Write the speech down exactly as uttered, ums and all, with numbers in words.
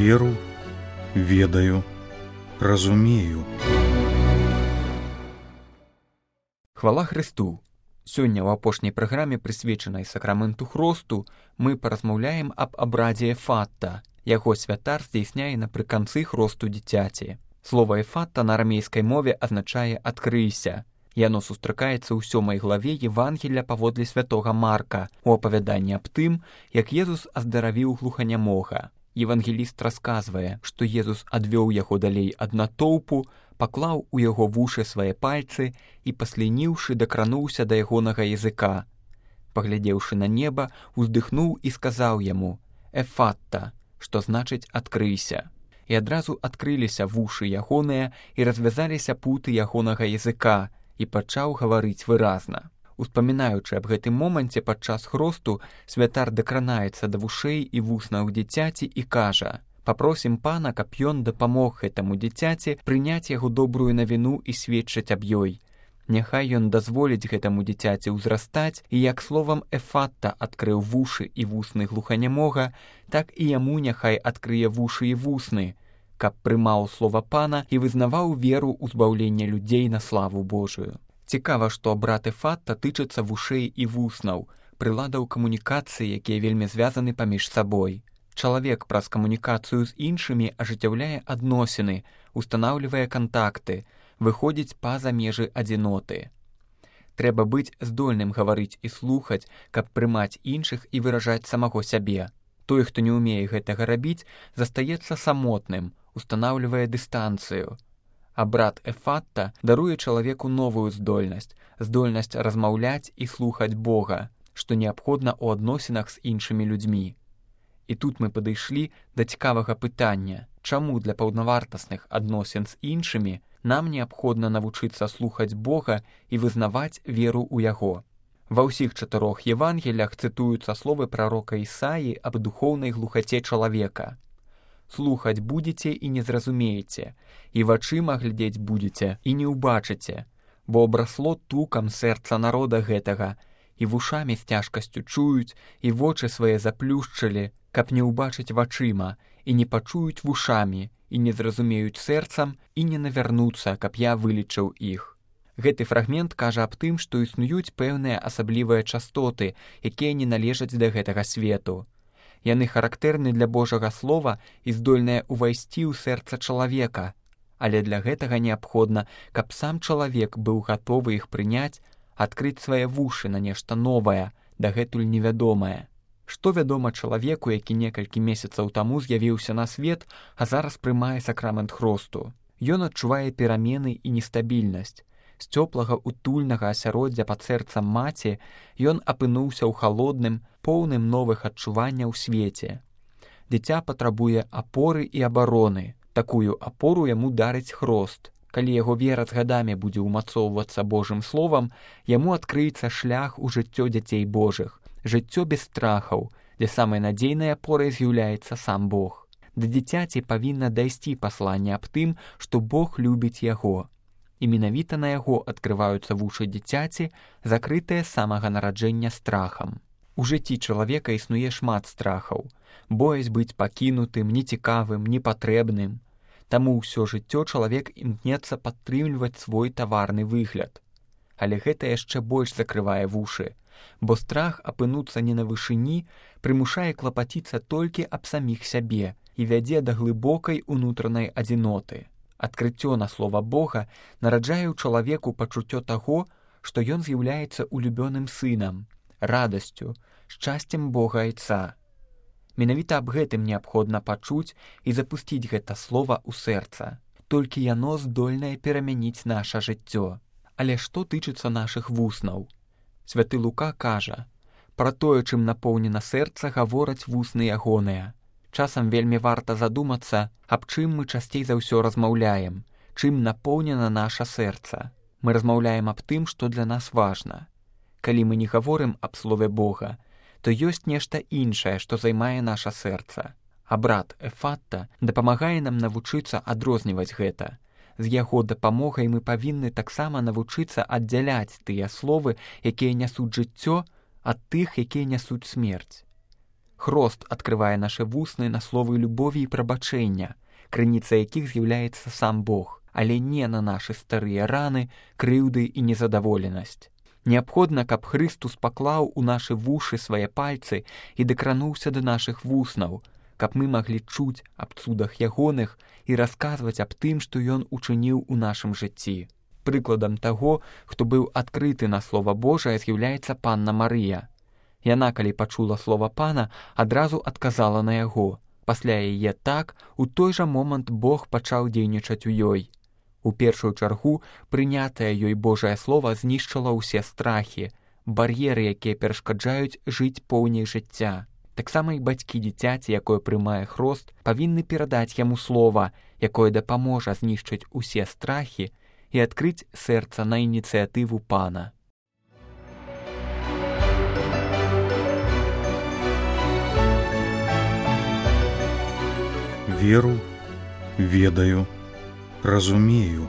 веру, ведаю, разумею. Хвала Христу! Сёння ў апошняй праграме, прысвечанай сакраменту хросту, мы паразмаўляем аб абрадзе эфатта. Яго святар здзяйсняе напрыканцы хросту дзіцяці. Слова эфатта на арамейскай мове азначае «адкрыйся». Яно сустракаецца ў сёмай главе Евангелля паводле святога Марка у апавяданні аб тым, як Езус аздаравіў глуханямога. Евангеліст расказвае, што Езус адвёў яго далей ад натоўпу, паклаў у яго вушы свае пальцы і, паслініўшы, дакрануўся да ягонага языка. Паглядзеўшы на неба, уздыхнуў і сказаў яму «Эфатта», што значыць «адкрыйся». І адразу адкрыліся вушы ягоныя і развязаліся путы ягонага языка, і пачаў гаварыць выразна. Успамінаючы аб гэтым моманце падчас хросту, святар дакранаецца да вушэй і вуснаў дзіцяці і кажа: «Папросім Пана, каб ён дапамог гэтаму дзіцяці прыняць яго добрую навіну і сведчыць аб ёй. Няхай ён дазволіць гэтаму дзіцяці ўзрастаць, і як словам эфатта адкрыў вушы і вусны глуханямога, так і яму няхай адкрые вушы і вусны, каб прымаў слова Пана і вызнаваў веру ў збаўлення людзей на славу Божую». Цікава, што абрад эфатта тычыцца вушэй і вуснаў, прыладаў камунікацыі, якія вельмі звязаны паміж сабой. Чалавек праз камунікацыю з іншымі ажыццяўляе адносіны, устанаўлівае кантакты, выходзіць па-за межы адзіноты. Трэба быць здольным гаварыць і слухаць, каб прымаць іншых і выражаць самого сябе. Той, хто не ўмее гэтага рабіць, застаецца самотным, устанаўлівае дыстанцыю. Абрад эфатта даруе чалавеку новую здольнасць, здольнасць размаўляць і слухаць Бога, што неабходна ў адносінах з іншымі людзьмі. І тут мы падышлі да цікавага пытання, чаму для паўнавартасных адносін з іншымі нам неабходна навучыцца слухаць Бога і вызнаваць веру ў Яго. Ва ўсіх чатырох Евангелях цытуюцца словы прарока Ісаі аб духоўнай глухаце чалавека. «Слухаць будзеце і не зразумееце, і вачыма глядзець будзеце і не ўбачыце, бо абрасло тукам сэрца народа гэтага, і вушамі з цяжкасцю чуюць, і вочы свае заплюшчылі, каб не ўбачыць вачыма, і не пачуюць вушамі, і не зразумеюць сэрцам, і не навярнуцца, каб я вылічыў іх». Гэты фрагмент кажа аб тым, што існуюць пэўныя асаблівыя частоты, якія не належаць да гэтага свету. Яны характэрны для Божага слова і здольныя ўвайсці ў сэрца чалавека, але для гэтага неабходна, каб сам чалавек быў гатовы іх прыняць, адкрыць свае вушы на нешта новае, дагэтуль невядомае. Што вядома чалавеку, які некалькі месяцаў таму з'явіўся на свет, а зараз прымае сакрамент хросту? Ён адчувае перамены і нестабільнасць. З цёплага утульнага асяроддзя пад сэрцам маці ён апынуўся ў халодным, поўным новых адчуванняў свеце. Дзіця патрабуе апоры і абароны. Такую апору яму дарыць хрост. Калі яго вера з гадамі будзе ўмацоўвацца Божым словам, яму адкрыецца шлях у жыццё дзяцей Божых, жыццё без страхаў, дзе самай надзейнай апорай з'яўляецца сам Бог. Да дзіцяці павінна дайсці пасланне аб тым, што Бог любіць яго. І менавіта на яго адкрываюцца вушы дзіцяці, закрытыя з самага нараджэння страхам. У жыцці чалавека існуе шмат страхаў. Боязь быць пакінутым, нецікавым, непатрэбным. Таму ўсё жыццё чалавек імкнецца падтрымліваць свой таварны выгляд. Але гэта яшчэ больш закрывае вушы, бо страх апынуцца не на вышыні прымушае клапаціцца толькі аб саміх сябе і вядзе да глыбокай унутранай адзіноты. Адкрыццё на слова Бога нараджае ў чалавеку пачуццё таго, што ён з'яўляецца улюбёным сынам, радасцю, шчасцем Бога Айца. Менавіта аб гэтым неабходна пачуць і запусціць гэта слова ў сэрца. Толькі яно здольнае перамяніць наша жыццё. Але што тычыцца нашых вуснаў? Святы Лука кажа: «Пра тое, чым напоўнена сэрца, гавораць вусны ягоныя». Часам вельмі варта задумацца, аб чым мы часцей за ўсё размаўляем, чым напоўнена наша сэрца. Мы размаўляем аб тым, што для нас важна. Калі мы не гаворым аб слове Бога, то ёсць нешта іншае, што займае наша сэрца. Абрад эфатта дапамагае нам навучыцца адрозніваць гэта. З яго дапамогай мы павінны таксама навучыцца аддзяляць тыя словы, якія нясуць жыццё, ад тых, якія нясуць смерць. Хрост адкрывае нашы вусны на словы любові і прабачэння, крыніца якіх з'яўляецца сам Бог, але не на нашы старыя раны, крыўды і незадаволенасць. Неабходна, каб Хрыстус паклаў у нашы вушы свае пальцы і дакрануўся да нашых вуснаў, каб мы маглі чуць аб цудах ягоных і расказваць аб тым, што ён учыніў у нашым жыцці. Прыкладам таго, хто быў адкрыты на Слова Божае, з'яўляецца панна Марыя. Яна, калі пачула слова пана, адразу адказала на яго. Пасля яе так, у той жа момант Бог пачаў дзейнічаць у ёй. У першую чаргу прынятае ёй Божае слова знішчыла ўсе страхі, бар'еры, якія перашкаджаюць жыць поўней жыцця. Таксама і бацькі дзіцяці, якое прымае хрост, павінны перадаць яму слова, якое дапаможа знішчыць усе страхі і адкрыць сэрца на ініцыятыву пана. Веру, ведаю, разумею.